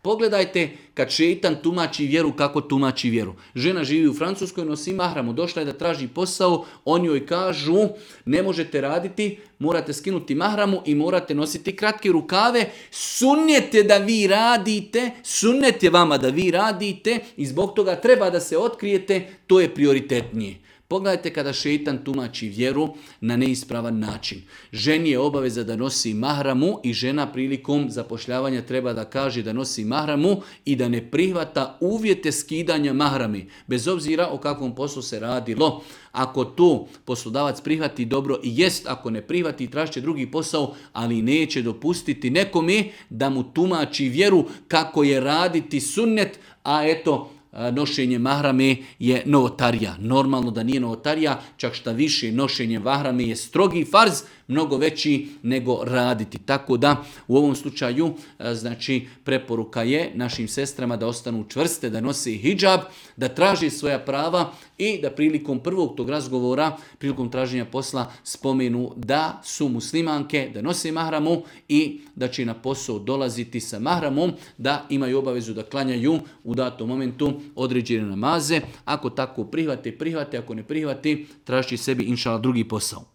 Pogledajte kad šeitan tumači vjeru kako tumači vjeru. Žena živi u Francuskoj, nosi mahramu, došla je da traži posao, oni joj kažu ne možete raditi, morate skinuti mahramu i morate nositi kratke rukave. Sunnet je da vi radite, sunnet je vama da vi radite i zbog toga treba da se otkrijete, to je prioritetnije. Pogledajte kada šeitan tumači vjeru na neispravan način. Ženi je obaveza da nosi mahramu i žena prilikom zapošljavanja treba da kaže da nosi mahramu i da ne prihvata uvjete skidanja mahrami. Bez obzira o kakvom poslu se radilo. Ako to poslodavac prihvati dobro i jest, ako ne prihvati tražit će drugi posao, ali neće dopustiti nekome da mu tumači vjeru kako je raditi sunnet, a eto, nošenje mahrame je novotarija. Normalno da nije novotarija, čak šta više nošenje mahrame je strogi farz, mnogo veći nego raditi. Tako da u ovom slučaju znači preporuka je našim sestrama da ostanu čvrste, da nose hidžab, da traže svoja prava i da prilikom prvog tog razgovora, prilikom traženja posla spomenu da su muslimanke, da nose mahramu i da će na posao dolaziti sa mahramom, da imaju obavezu da klanjaju u datom momentu određene namaze. Ako tako prihvate, ako ne prihvate, traži sebi inšala drugi posao.